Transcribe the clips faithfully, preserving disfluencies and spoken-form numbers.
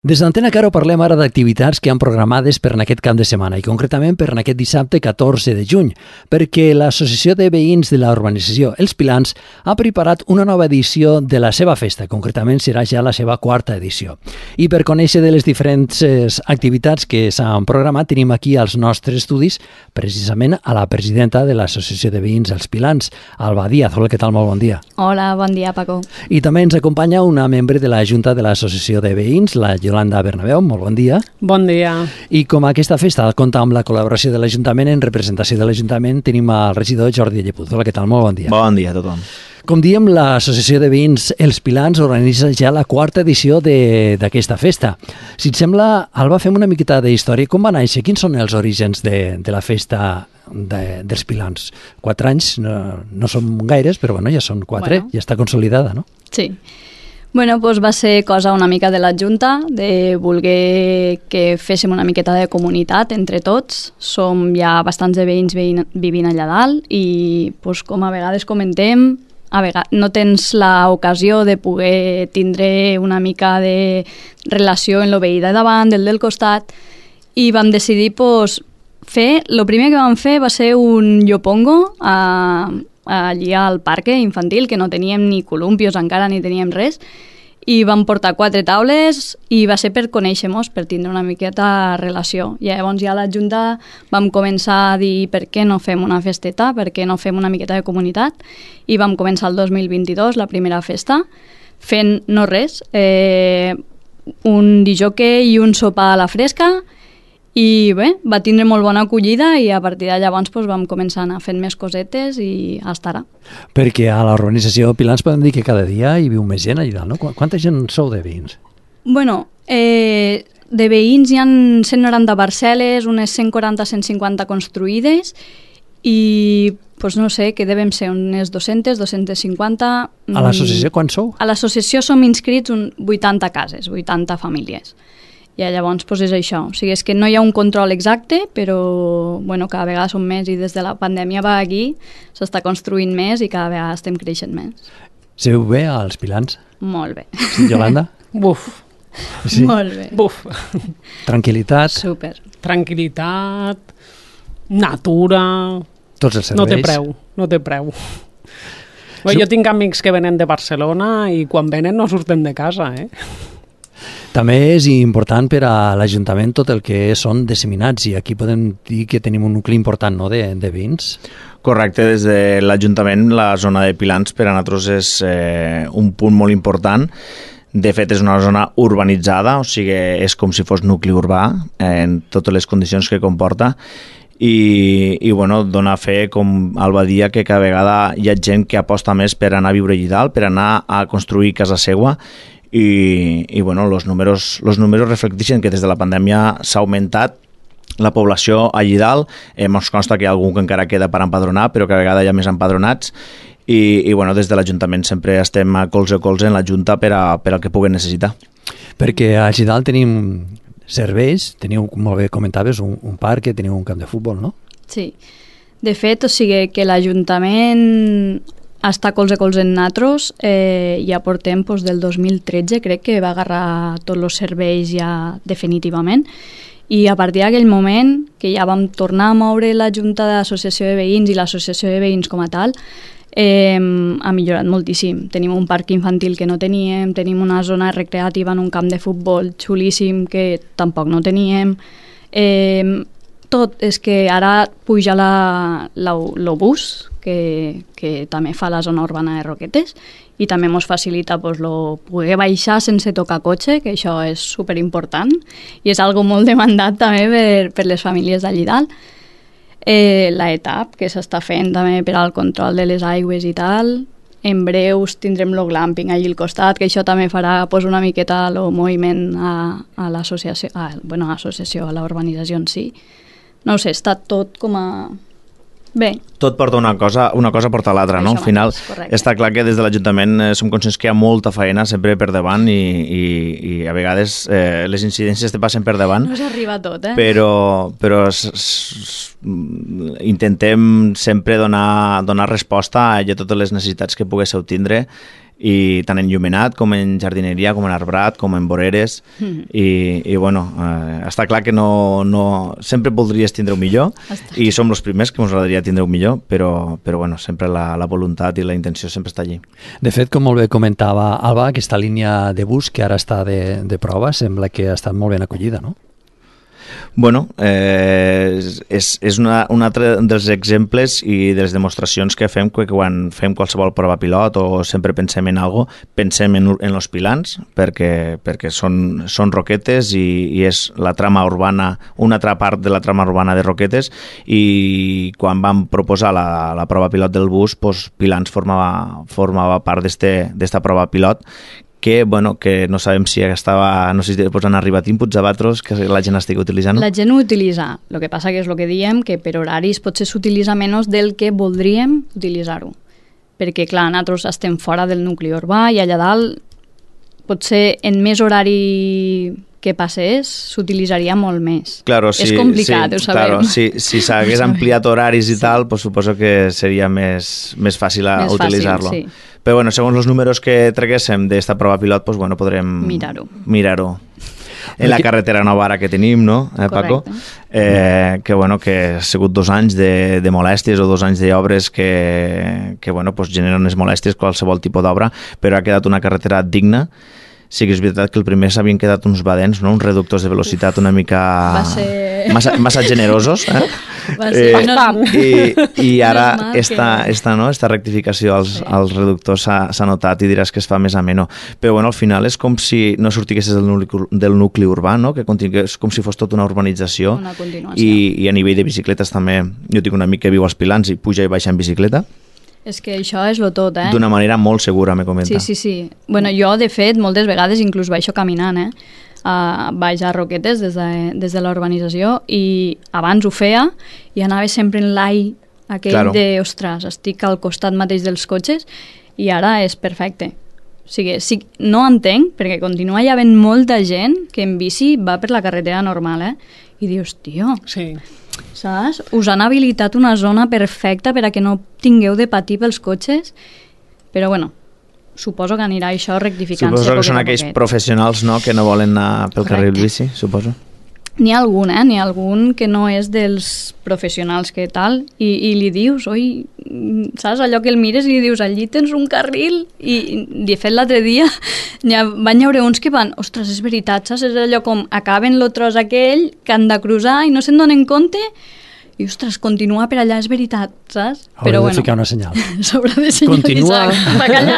Des d'Antena Caro parlem ara d'activitats que han programades per en aquest cap de setmana i concretament per en aquest dissabte catorze de juny, perquè l'Associació de Veïns de la Urbanització Els Pilans ha preparat una nova edició de la seva festa, concretament serà ja la seva quarta edició. I per conèixer de les diferents activitats que s'han programat tenim aquí als nostres estudis precisament a la presidenta de l'Associació de Veïns Els Pilans, Alba Díaz. Hola, què tal? Molt bon dia. Hola, bon dia, Paco. I també ens acompanya una membre de la Junta de l'Associació de Veïns, la Yolanda Bernabeu, molt bon dia. Bon dia. I com aquesta festa compta amb la col·laboració de l'Ajuntament, en representació de l'Ajuntament tenim el regidor Jordi Llepuz. Hola, què tal? Molt bon dia. Bon dia a tothom. Com diem, l'Associació de Veïns Els Pilans organitza ja la quarta edició d'aquesta festa. Si et sembla, Alba, fem una miqueta d'història. Com va néixer? Quins són els orígens de, de la festa de, dels Pilans? Quatre anys no, no són gaires, però bueno, ja són quatre, bueno. Ja està consolidada, no? Sí. Bueno, doncs va ser cosa una mica de la Junta, de voler que féssim una miqueta de comunitat entre tots. Som ja bastants de veïns vivint allà dalt i, doncs, com a vegades comentem, a vegades no tens l'ocasió de poder tindre una mica de relació en lo veí de davant, del del costat, i vam decidir doncs, fer... El primer que vam fer va ser un llopongo a... allí al parc infantil, que no teníem ni columpios encara, ni teníem res, i vam portar quatre taules i va ser per conèixer-nos, per tindre una miqueta relació. I llavors ja a la Junta vam començar a dir per què no fem una festeta, per què no fem una miqueta de comunitat, i vam començar el dos mil vint-i-dos, la primera festa, fent no res, eh, un disjockey i un sopar a la fresca. I bé, va tindre molt bona acollida i a partir de llavors doncs, vam començar a anar fent més cosetes i hasta ara. Perquè a l'organització Pilans podem dir que cada dia hi viu més gent allà, no? Quanta gent sou de veïns? Bueno, eh, de veïns hi ha cent noranta parcel·les, unes cent quaranta a cent cinquanta construïdes i doncs no sé, que devem ser unes dues-centes, dues-centes cinquanta... A l'associació quan sou? A l'associació som inscrits un vuitanta cases, vuitanta famílies. I llavors doncs és això, o sigui, és que no hi ha un control exacte, però bueno, cada vegada som més i des de la pandèmia va aquí, s'està construint més i cada vegada estem creixent més. Seu bé als Pilans? Molt bé. Sí, Yolanda? Buf. Sí. Molt bé. Buf. Tranquilitat. Super. Tranquilitat, natura... Tots els serveis. No té preu, no té preu. Bé, jo tinc amics que venen de Barcelona i quan venen no surten de casa, eh? També és important per a l'Ajuntament tot el que són disseminats i aquí podem dir que tenim un nucli important, no?, de, de veïns. Correcte, des de l'Ajuntament la zona de Pilans per a nosaltres és eh, un punt molt important. De fet és una zona urbanitzada, o sigui és com si fos nucli urbà en totes les condicions que comporta i, i bueno, dona fe, com Alba dia, que cada vegada hi ha gent que aposta més per anar a viure allà dalt, per anar a construir casa seua. I, i bueno, los números, los números reflecteixen que des de la pandèmia s'ha augmentat la població allí dalt. Eh, ens consta que hi ha algú que encara queda per empadronar, però cada vegada hi ha més empadronats i, i bueno, des de l'Ajuntament sempre estem a colze a colze en la Junta per, a, per al que puguen necessitar. Perquè allí dalt tenim serveis, teniu, molt bé comentaves, un, un parc, teniu un camp de futbol, no? Sí. De fet, o sigui que l'Ajuntament està colze a colze en natros, eh, ja portem doncs, del dos mil tretze, crec que va agarrar tots els serveis ja definitivament, i a partir d'aquell moment, que ja vam tornar a moure la Junta d'Associació de Veïns i l'Associació de Veïns com a tal, eh, ha millorat moltíssim. Tenim un parc infantil que no teníem, tenim una zona recreativa en un camp de futbol xulíssim que tampoc no teníem, eh, tot, és que ara puja l'obús, que, que també fa la zona urbana de Roquetes i també ens facilita pues, lo, poder baixar sense tocar cotxe, que això és superimportant i és algo molt demandat també per, per les famílies d'allí dalt. Eh, la etapa que s'està fent també per al control de les aigües i tal. En breus tindrem el glamping allí al costat, que això també farà pues, una miqueta el moviment a, a l'associació, a, bueno, a l'associació, a la urbanització en si. No ho sé, està tot com a... Bé. Tot porta una cosa, una cosa porta l'altra, no? Al final està clar que des de l'Ajuntament eh, som conscients que hi ha molta feina sempre per davant i, i, i a vegades eh, les incidències te passen per davant. No s'arriba a tot, eh? Però, però s, s, intentem sempre donar, donar resposta a totes les necessitats que poguéssiu tindre i tant en llumenat com en jardineria, com en arbrat, com en voreres, mm. i, i bueno, eh, està clar que no, no, sempre voldries tindre-ho millor, està. I som els primers que ens agradaria tindre-ho millor, però, però bueno, sempre la, la voluntat i la intenció sempre està allí. De fet, com molt bé comentava Alba, aquesta línia de bus que ara està de, de prova sembla que ha estat molt ben acollida, no? Bueno, eh, és, és una, un altre dels exemples i de les demostracions que fem que quan fem qualsevol prova pilot o sempre pensem en algo, pensem en, en els pilans, perquè, perquè són, són roquetes i, i és la trama urbana, una altra part de la trama urbana de roquetes, i quan vam proposar la, la prova pilot del bus, doncs Pilans formava, formava part d'esta prova pilot, que, bueno, que no sabem si estava, no sé si han arribat inputs a Batros que la gent estigui utilitzant. La gent ho utilitza, el que passa que és el que diem, que per horaris potser s'utilitza menys del que voldríem utilitzar-ho. Perquè, clar, nosaltres estem fora del nucli urbà i allà dalt potser en més horari que passés s'utilitzaria molt més. Claro, sí, és complicat, sí, ho sabem. Claro, si si s'hagués ampliat horaris i sí. tal, pues suposo que seria més, més fàcil a utilitzar-lo. Sí. Però bueno, segons els números que traguéssim d'esta prova pilot, pues bueno, podrem mirar-ho. Mirar-ho. En la carretera nova ara que tenim, no, eh, Paco? Eh, que, bueno, que ha sigut dos anys de, de molèsties o dos anys d'obres que, que bueno, pues generen unes molèsties qualsevol tipus d'obra, però ha quedat una carretera digna. Sí que és veritat que el primer s'havien quedat uns badens, no? Uns reductors de velocitat una mica ser... massa, massa generosos. Eh? Va ser... Eh, no... I, I ara esta, que... esta, no? esta rectificació als, sí. als reductors s'ha notat i diràs que es fa més ameno. Però bueno, al final és com si no sortiguessis del nucli, del nucli urbà, no? Que és com si fos tota una urbanització. Una continuació. I, I a nivell de bicicletes també. Jo tinc un amic que viu als Pilans i puja i baixa en bicicleta. És que això és lo tot, eh? D'una manera molt segura, me comenta. Sí, sí, sí. Bueno, jo, de fet, moltes vegades inclús baixo caminant, eh? Uh, baix a Roquetes des de, des de la urbanització, i abans ho feia i anava sempre en l'ai aquell claro. de, ostres, estic al costat mateix dels cotxes, i ara és perfecte. O sigui, sí, no entenc, perquè continua hi havent molta gent que en bici va per la carretera normal, eh? I dius, tio... Sí. Saps? Us han habilitat una zona perfecta per a que no tingueu de patir pels cotxes, però bueno, suposo que anirà això rectificant-se. Suposo que són aquells professionals, no?, que no volen anar pel carril bici, suposo. N'hi ha algun, eh? N'hi ha algun que no és dels professionals que tal, i, i li dius, oi, saps, allò que el mires i li dius, allí tens un carril, i de fet l'altre dia ha, van haure uns que van, ostres, és veritat, saps, és allò com acaben el tros aquell que han de cruzar i no se'n donen compte, i ostres, continua per allà, és veritat, saps? Haurà de bueno, ficar una senyal. S'haurà de senyalitzar cap allà,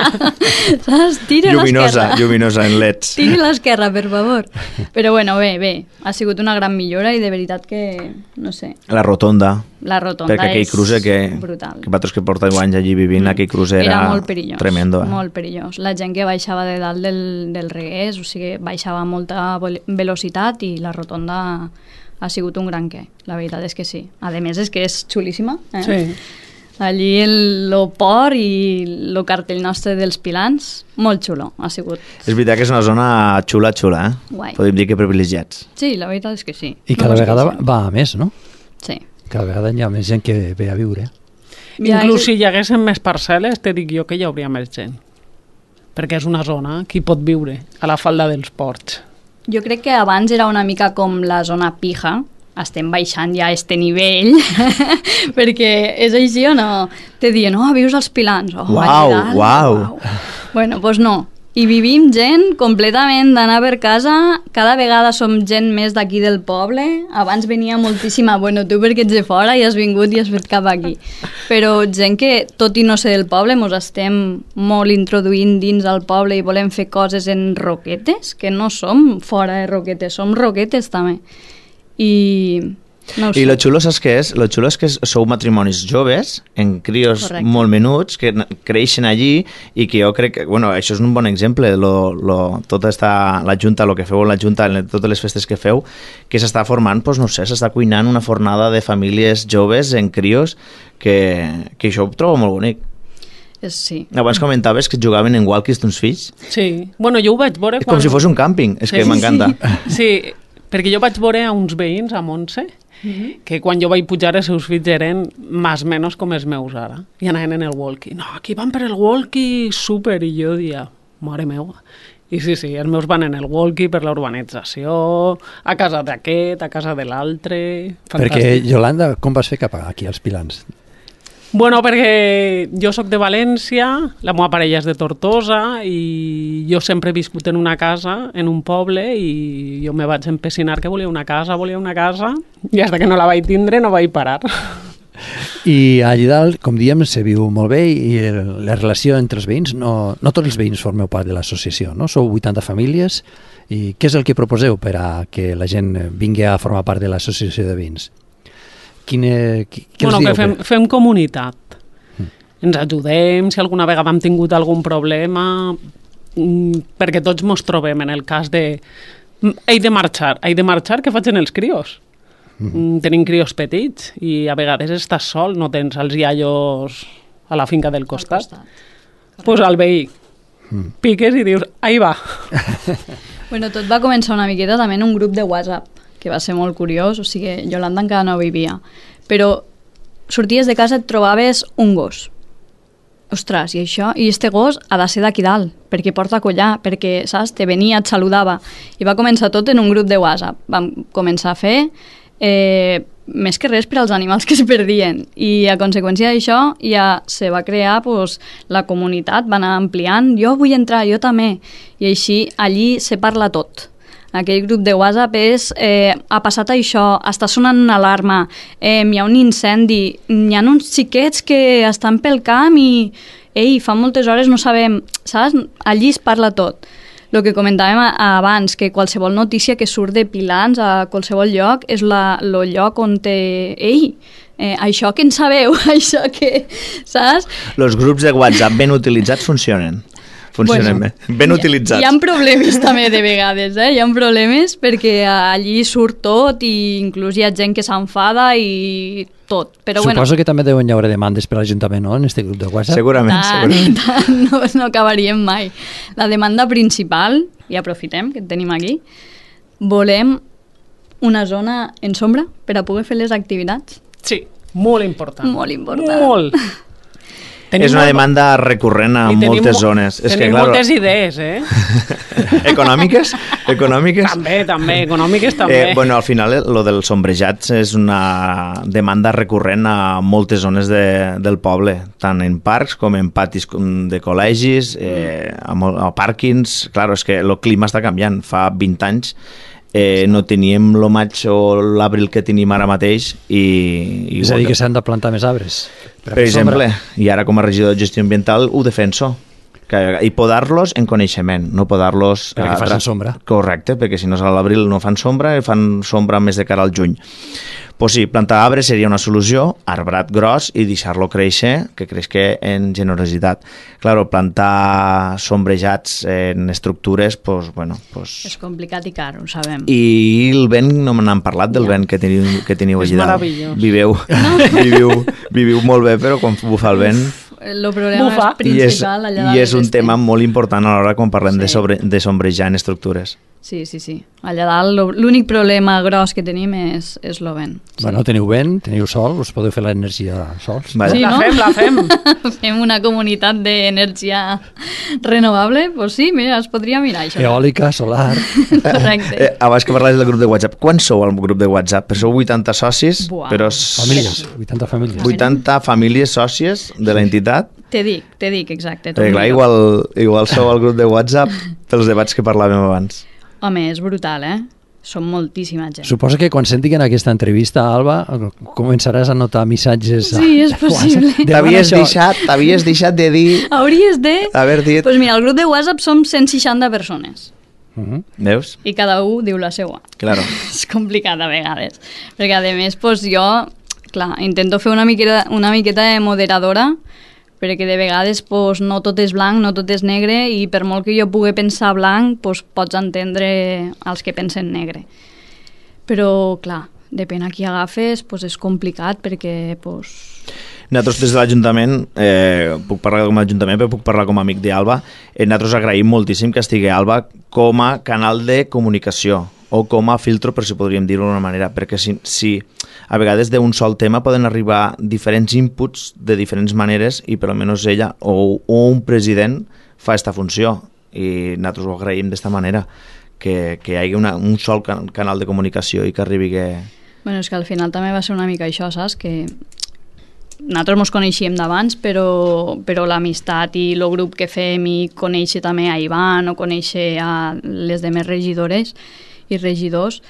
saps? Tira lluminosa, l'esquerra. Lluminosa, en leds. Tiri l'esquerra, per favor. Però bueno, bé, bé, ha sigut una gran millora i de veritat que, no sé... La rotonda. La rotonda perquè aquell és cruce que, brutal. Que vosaltres que porteu anys allí vivint, mm. aquell cruce era, era molt perillós, tremendo. Eh? Molt perillós. La gent que baixava de dalt del, del regués, o sigui, baixava a molta velocitat, i la rotonda ha sigut un gran què, la veritat és que sí. A més és que és xulíssima, eh? Sí. Allí el, el port i el cartell nostre dels Pilans, molt xulo, ha sigut. És veritat que és una zona xula, xula, eh? Guai. Podem dir que privilegiats. Sí, la veritat és que sí. I cada no vegada va a més, no? Sí. Cada vegada hi ha més gent que ve a viure. Ja, inclús si hi haguessin més parcel·les, te dic jo que hi hauria més gent. Perquè és una zona que hi pot viure, a la falda dels ports. Jo crec que abans era una mica com la zona pija, estem baixant ja a este nivell, perquè és així o no? Te diuen, oh, vius als Pilans. Oh, uau, uau. Bueno, doncs pues no. I vivim gent completament d'anar per casa, cada vegada som gent més d'aquí del poble, abans venia moltíssima, bueno, tu perquè ets de fora i has vingut i has fet cap aquí, però gent que, tot i no ser del poble, mos estem molt introduint dins del poble i volem fer coses en Roquetes, que no som fora de Roquetes, som Roquetes també. I... No I lo xulo, saps què és? Lo xulo és que sou matrimonis joves, en crios Correcte. Molt menuts, que creixen allí, i que jo crec que, bueno, això és un bon exemple, lo, lo, tota esta, la Junta, el que feu la Junta, totes les festes que feu, que s'està formant, doncs no sé, s'està cuinant una fornada de famílies joves en crios, que, que això ho trobo molt bonic. Sí. Abans comentaves que jugaven en walkies tons fills. Sí, bueno, jo ho vaig veure... És quan... com si fos un càmping, és sí, que m'encanta. Sí, sí, perquè jo vaig veure a uns veïns a Montse Mm-hmm. Que quan jo vaig pujar els seus fills eren més o menys com els meus ara. I anaven en el walkie. No, aquí van per el walkie, súper. I jo dia, mare meva. I sí, sí, els meus van en el walkie per la urbanització, a casa d'aquest, a casa de l'altre... Perquè, Yolanda, com vas fer cap aquí, als Pilans? Bueno, perquè jo sóc de València, la meva parella és de Tortosa i jo sempre he viscut en una casa, en un poble, i jo me vaig empecinar que volia una casa, volia una casa, i fins que no la vaig tindre no vaig parar. I allà dalt, com diem, se viu molt bé i el, la relació entre els veïns, no, no tots els veïns formeu part de l'associació, no? Sou vuitanta famílies, i què és el que proposeu per a que la gent vingui a formar part de l'associació de veïns? Quine, què bueno, els dieu? Que fem, fem comunitat. Mm. Ens ajudem, si alguna vegada hem tingut algun problema, perquè tots mos trobem en el cas de he de marxar, he de marxar, què facin els crios? Mm. Tenim crios petits i a vegades estàs sol, no tens els iaios a la finca del costat. Doncs pues al veí mm. piques i dius, ahí va. Bueno, tot va començar una miqueta també en un grup de WhatsApp, que va ser molt curiós, o sigui, Yolanda encara no vivia, però sorties de casa et trobaves un gos. Ostres, i això, i este gos ha de ser d'aquí dalt, perquè porta collar, perquè, saps, te venia, et saludava, i va començar tot en un grup de WhatsApp. Vam començar a fer eh, més que res per als animals que es perdien, i a conseqüència d'això ja se va crear pues, la comunitat, va anar ampliant, jo vull entrar, jo també, i així allí se parla tot. Aquell grup de WhatsApp és eh, ha passat això, està sonant una alarma, eh, hi ha un incendi, hi ha uns xiquets que estan pel camp i ei, fa moltes hores no sabem, saps? Allí es parla tot. El que comentàvem abans, que qualsevol notícia que surt de Pilans a qualsevol lloc és el lloc on té... Ei, eh, això que en sabeu, això que... Saps? Els grups de WhatsApp ben utilitzats funcionen. Funcionen bueno, bé, ben utilitzats. Hi ha problemes també de vegades, eh? Hi ha problemes perquè allí surt tot i inclús hi ha gent que s'enfada i tot. Però Suposo bueno, que també deuen hi haure demandes per l'Ajuntament, no?, en aquest grup de WhatsApp. Segurament, tant, segurament. tant, no, no acabaríem mai. La demanda principal, i aprofitem que tenim aquí, volem una zona en sombra per a poder fer les activitats. Sí, molt important. Molt important. Molt. Tenim és una demanda recurrent a moltes zones. Tenim és que, claro, moltes idees, eh? Econòmiques? Econòmiques? També, també, econòmiques també. Eh, bueno, al final, lo dels sombrejats és una demanda recurrent a moltes zones de, del poble, tant en parcs com en patis de col·legis, eh, a, a pàrquings. Claro, és que el clima està canviant. Fa vint anys eh, no teníem el maig o l'abril que tenim ara mateix i... i és a dir, que s'han de plantar més arbres. Per, per exemple, i ara com a regidor de gestió ambiental ho defenso, que, i podar-los en coneixement, no podar-los... Perquè a, facin sombra. Correcte, perquè si no és a l'abril no fan sombra, i fan sombra més de cara al juny. Pues sí, plantar arbres seria una solució, arbrat gros i deixar-lo créixer, que creixi en generositat. Claro, plantar sombrejats en estructures, pues, bueno... Pues... És complicat i car, ho sabem. I el vent, no me n'han parlat del ja. vent que teniu, que teniu allà dalt. És meravellós. Viveu, no. viviu, viviu molt bé, però quan bufa el vent... El problema Bufa. és principal allà dalt. I és un tema molt important a l'hora quan parlem sí. de, sobre, de sombrejar en estructures. Sí, sí, sí. Allà dalt l'únic problema gros que tenim és, és el vent. Sí. Bueno, teniu vent, teniu sol, us podeu fer l'energia sols. Vale. Sí, la no? fem, la fem. Fem una comunitat d'energia renovable? Pues sí, mira, es podria mirar això. Eòlica, solar... Correcte. Eh, abans que parlais del grup de WhatsApp, quan sou al grup de WhatsApp? Però sou vuitanta socis, Buah. però... Famílies, vuitanta famílies. vuitanta famílies sòcies de l'entitat. Te dic, te dic, exacte. Perquè clar, igual, igual sou al grup de WhatsApp pels debats que parlàvem abans. Home, és brutal, eh? Som moltíssima gent. Suposo que quan sentin aquesta entrevista, Alba, començaràs a notar missatges... Sí, és possible. T'havies deixat, t'havies deixat de dir... Hauries de... Haver dit... Pues mira, al grup de WhatsApp som cent seixanta persones. Uh -huh. Veus? I cada un diu la seua. Claro. És complicat a vegades. Perquè, a més, pues, jo, clar, intento fer una miqueta, una miqueta de moderadora, perquè de vegades pues, no tot és blanc, no tot és negre, i per molt que jo pugui pensar blanc, pues, pots entendre els que pensen negre. Però, clar, depèn a qui agafes, pues, és complicat perquè... Pues... Nosaltres des de l'Ajuntament, eh, puc parlar com a Ajuntament, però puc parlar com a amic d'Alba, eh, nosaltres agraïm moltíssim que estigui Alba com a canal de comunicació o com a filtro, per si podríem dir-ho d'una manera, perquè si, si a vegades d'un sol tema poden arribar diferents inputs de diferents maneres i per almenys ella o, o un president fa aquesta funció i nosaltres ho agraïm d'esta manera, que, que hi hagi una, un sol can, canal de comunicació i que arribi que... Bueno, és que al final també va ser una mica això, saps? Que nosaltres ens coneixíem d'abans, però, però l'amistat i el grup que fem i conèixer també a Ivan o conèixer a les demés regidores i regidors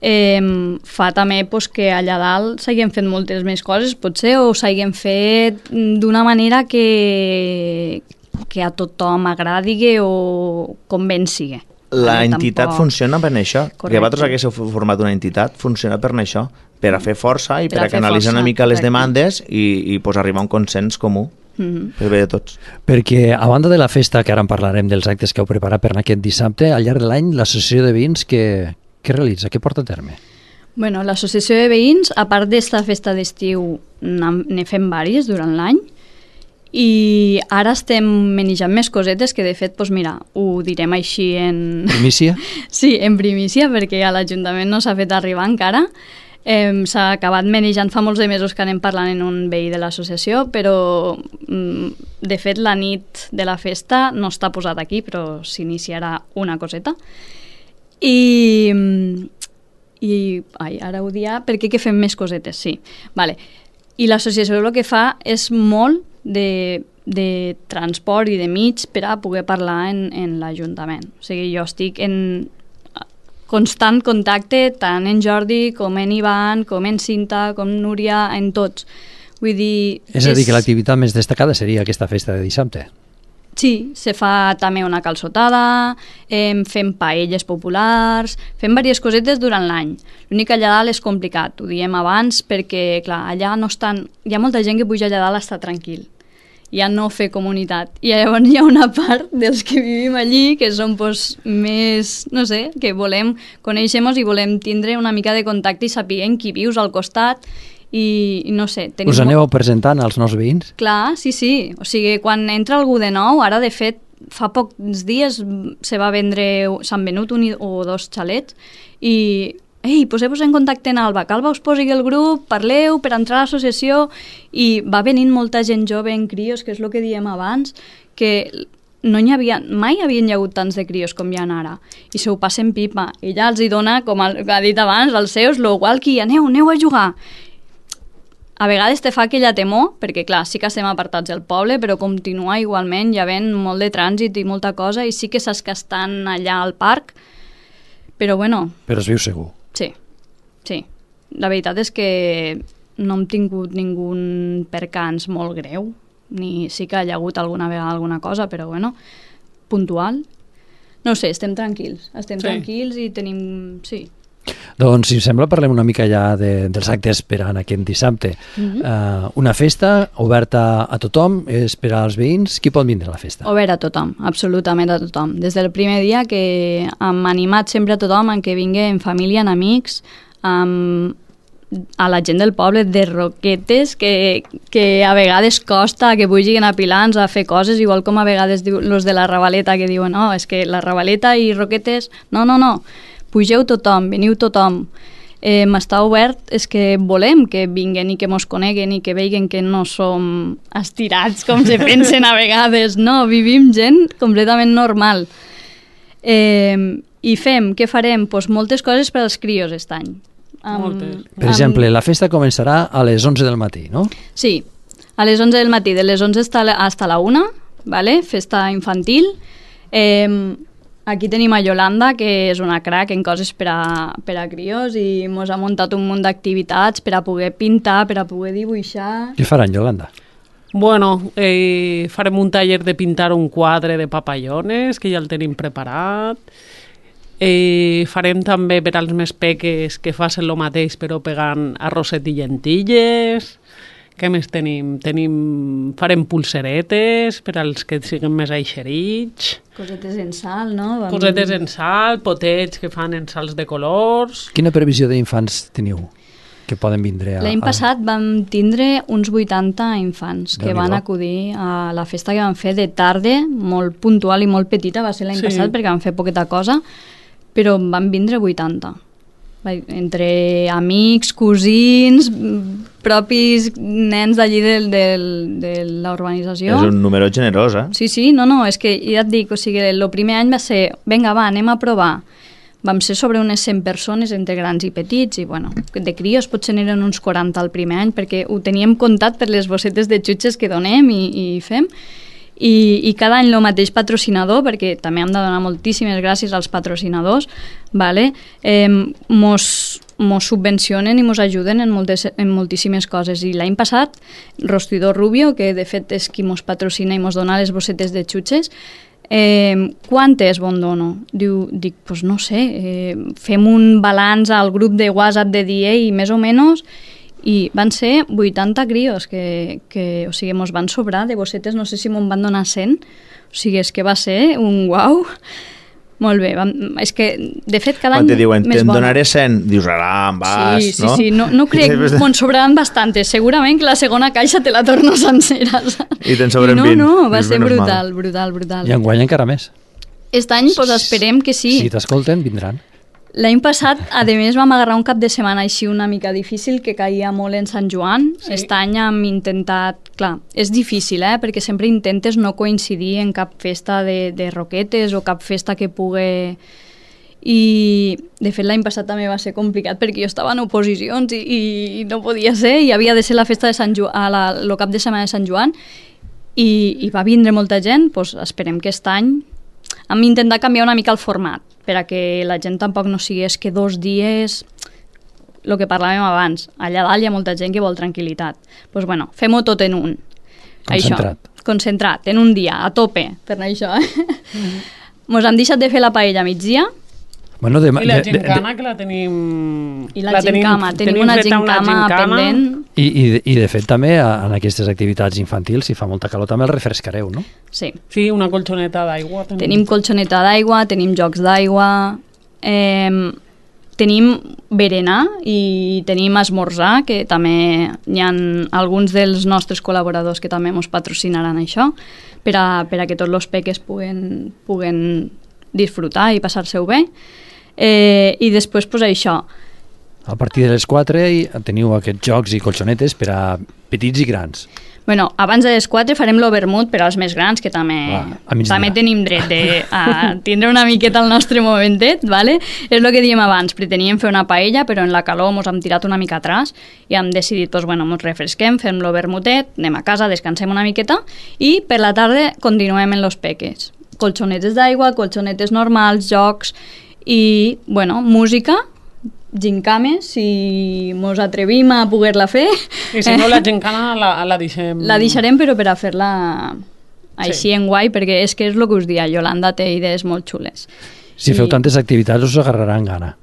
eh, fa també pues, que allà dalt s'hagin fet moltes més coses, potser, o s'hagin fet d'una manera que, que a tothom agradi o convenci. La entitat tampoc... funciona per això. Correcte. Que vosaltres haguéssiu format una entitat, funciona per això, per a fer força i per, per a, a canalitzar força, una mica les correcte. Demandes i, i pues, arribar a un consens comú. Mm-hmm. Per bé de tots. Perquè a banda de la festa, que ara en parlarem dels actes que heu preparat per aquest dissabte, al llarg de l'any l'associació de veïns que, que realitza, què porta a terme? Bueno, l'associació de veïns, a part d'esta festa d'estiu, ne fem vàries durant l'any i ara estem manejant més cosetes que de fet, doncs mira, ho direm així en... Primícia? Sí, en primícia, perquè a l'Ajuntament no s'ha fet arribar encara. Eh, s'ha acabat manejant fa molts de mesos que anem parlant en un veí de l'associació, però de fet la nit de la festa no està posat aquí, però s'iniciarà una coseta. I, i ai, ara ho dia, perquè que fem més cosetes, sí. Vale. I l'associació el que fa és molt de, de transport i de mig per a poder parlar en, en l'Ajuntament. O sigui, jo estic en constant contacte tant en Jordi com en Ivan, com en Cinta, com Núria, en tots. Vull dir... És a dir, és... que l'activitat més destacada seria aquesta festa de dissabte. Sí, se fa també una calçotada, eh, fem paelles populars, fem diverses cosetes durant l'any. L'únic que allà dalt és complicat, ho diem abans, perquè clar, allà no estan... Hi ha molta gent que puja allà dalt a estar tranquil, ja no fer comunitat. I llavors hi ha una part dels que vivim allí que som pues, més, no sé, que volem conèixer-nos i volem tindre una mica de contacte i sapiguem qui vius al costat i, i no sé... Us aneu molt... presentant als nous veïns? Clar, sí, sí. O sigui, quan entra algú de nou, ara de fet fa pocs dies se va vendre, s'han venut un o dos xalets i ei, poseu-vos en contacte en Alba, que Alba us posi el grup, parleu per entrar a l'associació i va venint molta gent jove en crios, que és el que diem abans, que no hi havia, mai havien hagut tants de crios com hi ha ara i se ho passen pipa. Ella els hi dona, com ha dit abans, als seus, lo walkie, aneu, aneu a jugar. A vegades te fa aquella temor, perquè clar, sí que estem apartats del poble, però continua igualment, hi havent molt de trànsit i molta cosa, i sí que saps que estan allà al parc, però bueno... Però es viu segur. Sí, sí. La veritat és que no hem tingut ningú percans molt greu, ni sí que hi ha hagut alguna vegada alguna cosa, però bueno, puntual. No sé, estem tranquils, estem sí. tranquils i tenim... Sí. Doncs, si us sembla, parlem una mica ja de, dels actes per a aquest dissabte. Mm-hmm. uh, una festa oberta a tothom, és per als veïns. Qui pot vindre a la festa? Obert a tothom, absolutament a tothom. Des del primer dia que hem animat sempre a tothom en que vingui en família, en amics, amb a la gent del poble de Roquetes, que, que a vegades costa que pugin a Pilans a fer coses, igual com a vegades diu, los de la Ravaleta que diuen no, és que la Ravaleta i Roquetes... No, no, no. Pugeu tothom, veniu tothom. Eh, m'està obert, és que volem que vinguen i que mos coneguen i que vegin que no som estirats com se pensen a vegades. No, vivim gent completament normal. Eh, I fem, què farem? Pues moltes coses per als crios aquest any. Um, per exemple, la festa començarà a les onze del matí, no? Sí, a les onze del matí, de les onze fins a la una, ¿vale? Festa infantil. Eh, Aquí tenim a Yolanda, que és una crack en coses per a, per a crios i mos ha muntat un munt d'activitats per a poder pintar, per a poder dibuixar... Què faran, Yolanda? Bueno, eh, farem un taller de pintar un quadre de papallones, que ja el tenim preparat. Eh, farem també per als més peques que facin el mateix però pegant arrosset i llentilles. Què més tenim? tenim? Farem pulseretes per als que siguin més aixerits. Cosetes en sal, no? Vam... Cosetes en sal, potets que fan en sals de colors. Quina previsió d'infants teniu? que poden vindre a... L'any passat vam tindre uns vuitanta infants que Déu-n'hi-do. van acudir a la festa que vam fer de tarda, molt puntual i molt petita, va ser l'any Sí. passat perquè vam fer poqueta cosa, però en van vindre vuitanta. Va- Entre amics, cosins, mm, propis nens d'allí del, del, de la urbanització. És un número generós, eh? Sí, sí, no, no, és que ja et dic, o sigui, el primer any va ser, vinga, va, anem a provar. Vam ser sobre unes cent persones, entre grans i petits, i bueno, de crios potser n'eren uns quaranta el primer any, perquè ho teníem comptat per les bossetes de xutxes que donem i, i fem, i, i cada any el mateix patrocinador, perquè també hem de donar moltíssimes gràcies als patrocinadors, vale? eh, mos, mos subvencionen i mos ajuden en, moltes, en moltíssimes coses. I l'any passat, Rostidor Rubio, que de fet és qui mos patrocina i mos dona les bossetes de xutxes, Eh, quantes bon dono? Diu, dic, pues no sé, eh, fem un balanç al grup de WhatsApp de dia i més o menys, i van ser vuitanta crios que, que o sigui, mos van sobrar de bossetes, no sé si m'on van donar cent, o sigui, és que va ser un uau. Molt bé, vam, és que de fet cada Quan any te diuen, més te'n bona. donaré cent, dius, ara, en vas, Sí, sí, no? sí, no, no crec, me'n sobraran bastantes, segurament que la segona caixa te la torno sencera. saps? I te'n sobren no, vint. No, va Dius, ser menys mal. brutal, brutal, brutal. I enguany encara més. Aquest any pues, esperem que sí. Si t'escolten, vindran. L'any passat, a més, vam agarrar un cap de setmana així una mica difícil, que caia molt en Sant Joan. Sí. Aquest any hem intentat... Clar, és difícil, eh? Perquè sempre intentes no coincidir en cap festa de, de roquetes o cap festa que pugui... I, de fet, l'any passat també va ser complicat perquè jo estava en oposicions i, i, i no podia ser, i havia de ser la festa de Sant Joan, a la, el cap de setmana de Sant Joan, i, i va vindre molta gent. Doncs esperem que aquest any hem intentat canviar una mica el format, per a que la gent tampoc no sigui és que dos dies, el que parlàvem abans, allà dalt hi ha molta gent que vol tranquil·litat. Doncs bueno, fem-ho tot en un. Concentrat. Això, concentrat, en un dia, a tope, per això. Eh? Mm-hmm. Mos han deixat de fer la paella a migdia, Bueno, de, I la de, de, gincana, que la tenim... i la, la gincama, tenim, tenim una feta gincama pendent. I, i, de- I de fet també a- en aquestes activitats infantils, si fa molta calor, també el refrescareu, no? Sí, Sí, una colxoneta d'aigua. tenim colxoneta d'aigua, tenim jocs d'aigua, eh, tenim berenar i tenim esmorzar, que també hi ha alguns dels nostres col·laboradors que també ens patrocinaran això, per a, per a que tots els peques puguen, puguen disfrutar i passar-se-ho bé. Eh, I després, pues, això, A partir de les quatre hi- teniu aquests jocs i colxonetes per a petits i grans. bueno, abans de les quatre farem l'overmut per als més grans, que també, Va, a migdia. també tenim dret de, a tindre una miqueta el nostre momentet, ¿vale? És el que diem abans, preteníem fer una paella, però en la calor mos hem tirat una mica atràs i hem decidit, pues, bueno, mos refresquem, fem l'overmutet, anem a casa, descansem una miqueta i per la tarda continuem en los peques. Colxonetes d'aigua, colxonetes normals, jocs i, bueno, música, gincames, si mos atrevim a poder-la fer. I si no, la gincana la, la deixem... La deixarem, però per a fer-la així Sí. en guai, perquè és que és el que us dia, Yolanda té idees molt xules. Si I- feu tantes activitats us agarraran gana.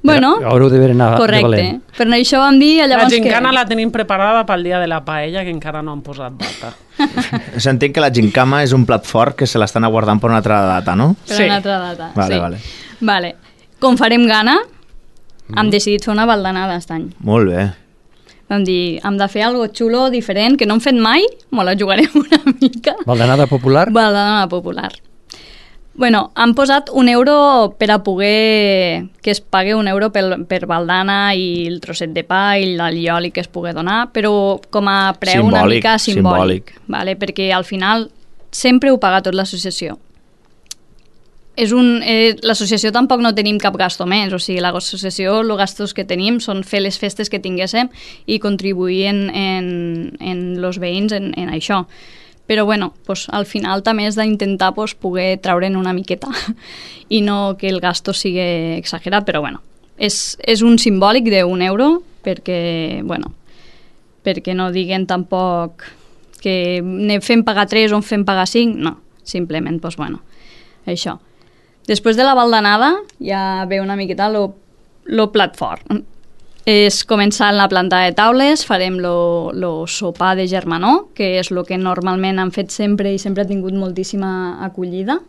Bueno, Haureu de anar de correcte. valent. Per això vam dir, La llavors gincana que... la tenim preparada pel dia de la paella, que encara no han posat data. S'entén que la gincama és un plat fort que se l'estan aguardant per una altra data, no? Per Sí. una altra data. Vale, sí. vale. Vale. Com farem gana, hem decidit fer una baldanada aquest any. Molt bé. Vam dir, hem de fer algo xulo, diferent, que no hem fet mai, me la jugarem una mica. Baldanada popular? Baldanada popular. Bueno, han posat un euro per a poder que es pagui un euro per, per baldana i el trosset de pa i l'allioli que es pugui donar, però com a preu una Simbòlic, mica simbòlic, simbòlic. Vale? Perquè al final sempre ho paga tot l'associació. És un, eh, l'associació tampoc no tenim cap gasto més, o sigui, l'associació, els gastos que tenim són fer les festes que tinguéssim i contribuir en, en, en los veïns en, en això. Però bueno, pues, al final també és d'intentar pues, poder treure'n una miqueta i no que el gasto sigui exagerat, però bueno, és, és un simbòlic d'un euro perquè, bueno, perquè no diguen tampoc que ne fem pagar tres o en fem pagar cinc, no, simplement, pues, bueno, això. Després de la baldanada ja ve una miqueta lo, lo plat fort. És començar en la planta de taules, farem lo, lo sopar de germanor, que és el que normalment han fet sempre i sempre ha tingut moltíssima acollida.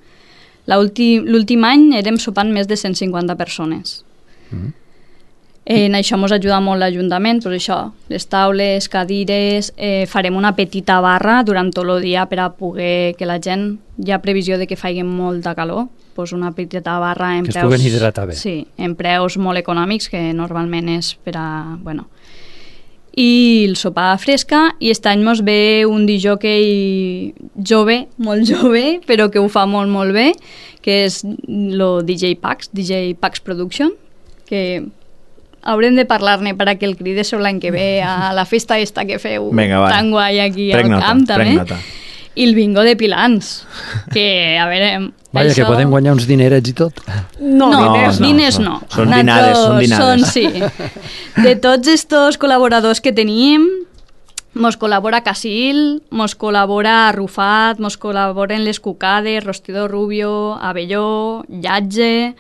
L'últim any érem sopant més de cent cinquanta persones. Mm. En això ens ajuda molt l'Ajuntament, doncs això, les taules, cadires, eh, farem una petita barra durant tot el dia per a poder que la gent, hi ha previsió de que faci molta calor, doncs una petita barra en que preus... es puguen hidratar bé. Sí, en preus molt econòmics, que normalment és per a... Bueno, i el sopar fresca, i aquest any mos ve un disjockey jove, molt jove, però que ho fa molt, molt bé, que és el D J Pax, D J Pax Production, que haurem de parlar-ne per a que el cridéssiu l'any que ve a la festa esta que feu Venga, va. tan guai aquí Prenc al nota, camp, també. prenc nota. I el bingo de Pilans, que, a veure... Vaja, això... que podem guanyar uns dinerets i tot. No, No, no, diners no. diners no. Són dinades, són dinades. Són, sí. De tots estos col·laboradors que tenim, mos col·labora Casil, mos col·labora Arrufat, mos col·laboren les Cucades, Rostidor Rubio, Abelló, Llatge,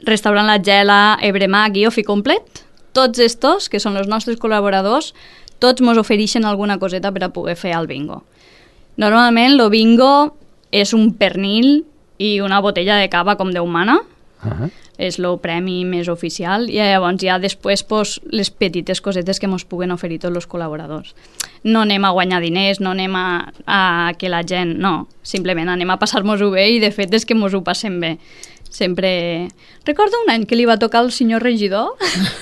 Restaurant La Gela, Ebremac i Ofi Complet. Tots estos, que són els nostres col·laboradors, tots mos ofereixen alguna coseta per a poder fer el bingo. Normalment, el bingo és un pernil i una botella de cava com Déu mana. Uh-huh. És el premi més oficial, i llavors ja després pues, les petites cosetes que ens puguen oferir tots els col·laboradors. No anem a guanyar diners, no anem a, a que la gent... No, simplement anem a passar-nos-ho bé, i de fet és que ens ho passem bé. Sempre... Recordo un any que li va tocar al senyor regidor.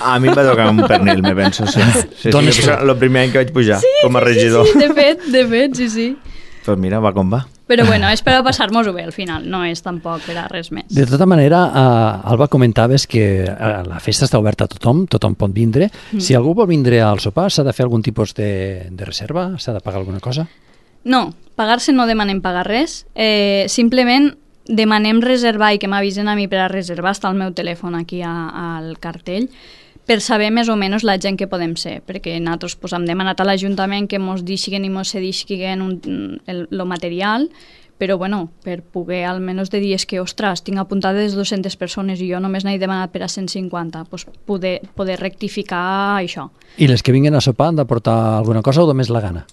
A mi em va tocar un pernil, me penso, sí. sí, sí, Dones sí el primer any que vaig pujar sí, com a sí, regidor. Sí, sí, de fet, de fet, sí, sí. Pues mira, va com va. Però bueno, és per a passar-nos-ho bé al final, no és tampoc per a res més. De tota manera, uh, Alba, comentaves que uh, la festa està oberta a tothom, tothom pot vindre. Mm. Si algú vol vindre al sopar, s'ha de fer algun tipus de, de reserva? S'ha de pagar alguna cosa? No, pagar-se no demanem pagar res, eh, simplement demanem reservar, i que m'avisen a mi per a reservar, està el meu telèfon aquí a, al cartell, per saber més o menys la gent que podem ser, perquè nosaltres pues, hem demanat a l'Ajuntament que mos deixin i mos cedisquen un, el, el material, però bueno, per poder almenys de dies que, ostres, tinc apuntades dues-centes persones i jo només n'he demanat per a cent cinquanta, pues, poder, poder rectificar això. I les que vinguen a sopar han de portar alguna cosa o només la gana?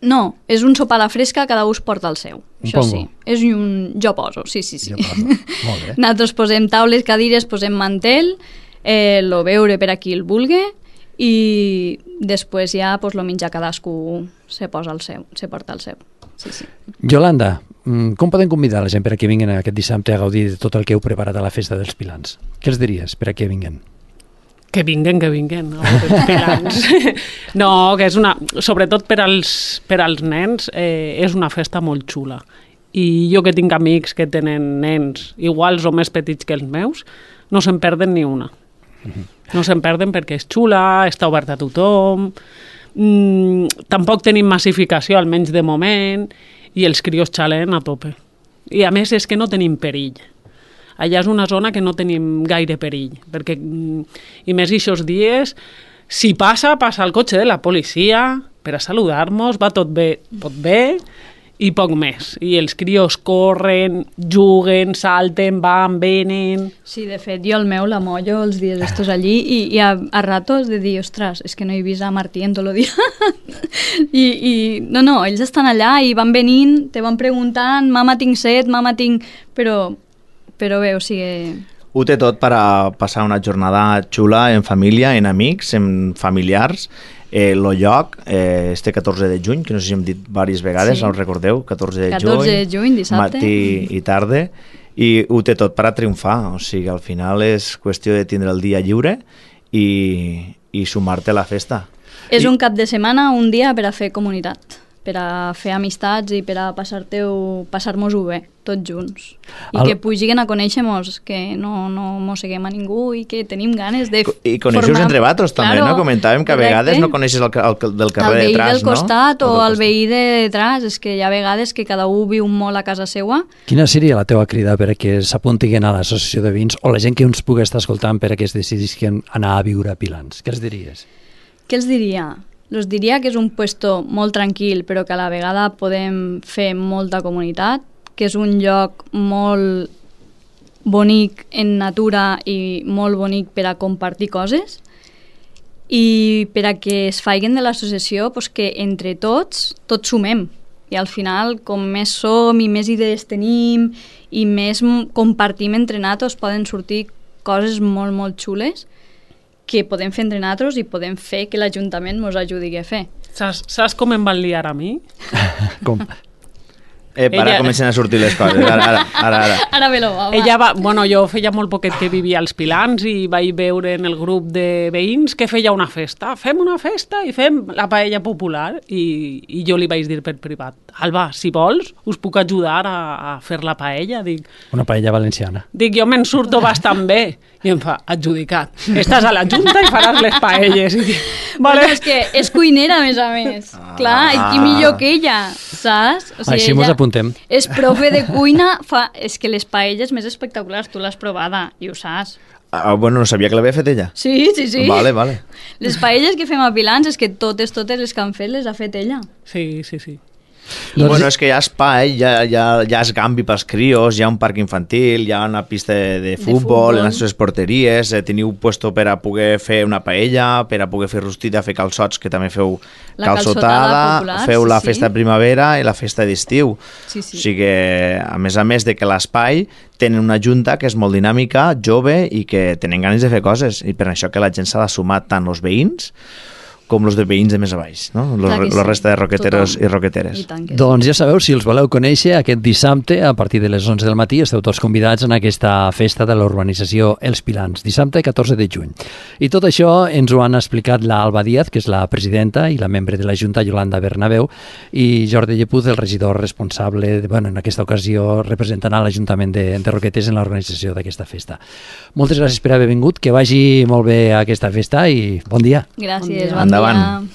No, és un sopar a la fresca, cada un porta el seu. Un Això pongo. sí, és un... Jo poso, sí, sí, sí. Jo poso. Molt bé. Nosaltres posem taules, cadires, posem mantel, eh, lo beure per a qui el vulgui, i després ja pues, lo menjar cadascú se posa el seu, se porta el seu. Sí, sí. Yolanda, com podem convidar la gent per a que vinguin aquest dissabte a gaudir de tot el que heu preparat a la festa dels Pilans? Què els diries per a que vinguin? Que vinguen, que vinguen, no? Els Pilans. No, que és una... Sobretot per als, per als nens, eh, és una festa molt xula. I jo que tinc amics que tenen nens iguals o més petits que els meus, no se'n perden ni una. No se'n perden perquè és xula, està oberta a tothom, mm, tampoc tenim massificació, almenys de moment, i els crios xalen a tope. I a més és que no tenim perill. Allà és una zona que no tenim gaire perill, perquè, i més aquests dies, si passa, passa el cotxe de la policia per a saludar-nos, va tot bé, tot bé, i poc més. I els crios corren, juguen, salten, van, venen... Sí, de fet, jo el meu la mollo els dies estos allí, i, i a, a ratos de dir, ostres, és que no he vist a Martí en tot el dia. I, I no, no, ells estan allà i van venint, te van preguntant, mama tinc set, mama tinc... Però... Però bé, o sigui... Ho té tot per a passar una jornada xula en família, en amics, en familiars. Eh, lo lloc, eh, este catorze de juny, que no sé si hem dit diverses vegades, Sí. no us recordeu? catorze de catorze juny, de juny, dissabte. matí i tarda, i ho té tot per a triomfar. O sigui, al final és qüestió de tindre el dia lliure i, i sumar-te a la festa. És I- un cap de setmana, un dia per a fer comunitat, per a fer amistats i per a passar-te-ho, passar-nos-ho bé, tots junts. I El- que pugin a conèixer-nos, que no, no mosseguem a ningú i que tenim ganes de I coneixeu entre vosaltres també, Claro, no? Comentàvem que a correcte. vegades no coneixes el, el, del carrer el de veí detrás, del costat no? o del el veí de detrás, és que hi ha vegades que cada un viu molt a casa seua. Quina seria la teva crida per a que s'apuntin a l'associació de veïns o la gent que ens pugui estar escoltant per a que es decidisquen anar a viure a Pilans? Què els diries? Què els diria? Els diria que és un puesto molt tranquil, però que a la vegada podem fer molta comunitat, que és un lloc molt bonic en natura i molt bonic per a compartir coses, i per a que es faiguen de l'associació pues, que entre tots, tots sumem. I al final, com més som i més idees tenim i més m- compartim entre nosaltres, poden sortir coses molt, molt xules. que podem fer entre nosaltres i podem fer que l'Ajuntament ens ajudi a fer. Saps, saps com em van liar a mi? Com? Eh, ara Ella- comencen a sortir les coses. Ara, ara, ara. ara. Ara ve lo va, va. Ella va, bueno, jo feia molt poquet que vivia als Pilans i vaig veure en el grup de veïns que feia una festa. Fem una festa i fem la paella popular. I, i jo li vaig dir per privat, Alba, si vols, us puc ajudar a, a fer la paella. Dic, Una paella valenciana. dic jo me'n surto bastant bé. I em fa, adjudicat. Estàs a la Junta i faràs les paelles. I dic, Vale. vale. És que és cuinera, a més a més. Ah. Clar, i qui millor que ella, saps? O Així mos apuntem. És profe de cuina, fa... és que les paelles més espectaculars, tu l'has provada i ho saps. Ah, bueno, no sabia que l'havia fet ella. Sí, sí, sí. Vale, vale. Les paelles que fem a Pilans és que totes, totes les que han fet les ha fet ella. Sí, sí, sí. Doncs- Bueno, és que hi ha espai, hi ha, hi ha, hi ha esgambi pels crios, hi ha un parc infantil, hi ha una pista de, de futbol, futbol. en les seves porteries, eh, teniu puesto per a poder fer una paella, per a poder fer rostida, fer calçots, que també feu La calçotada popular, feu sí, la sí. festa de primavera i la festa d'estiu. Sí, sí. O sigui, a més a més de que l'espai tenen una junta que és molt dinàmica, jove i que tenen ganes de fer coses, i per això que la gent s'ha de sumar tant els veïns com els de veïns de més a baix, no? Los, Clar que sí. los resta de roqueteros Tothom. i roqueteres. I tant que sí. Doncs ja sabeu, si els voleu conèixer, aquest dissabte, a partir de les onze del matí, esteu tots convidats en aquesta festa de la urbanització Els Pilans, dissabte catorze de juny. I tot això ens ho han explicat la Alba Díaz, que és la presidenta, i la membre de la Junta, Yolanda Bernabeu, i Jordi Llepuz, el regidor responsable, de, bueno, en aquesta ocasió representant a l'Ajuntament de, de Roquetes en l'organització d'aquesta festa. Moltes gràcies per haver vingut, que vagi molt bé aquesta festa i bon dia. Gràcies, Bon bon, dia. dia. Endavant.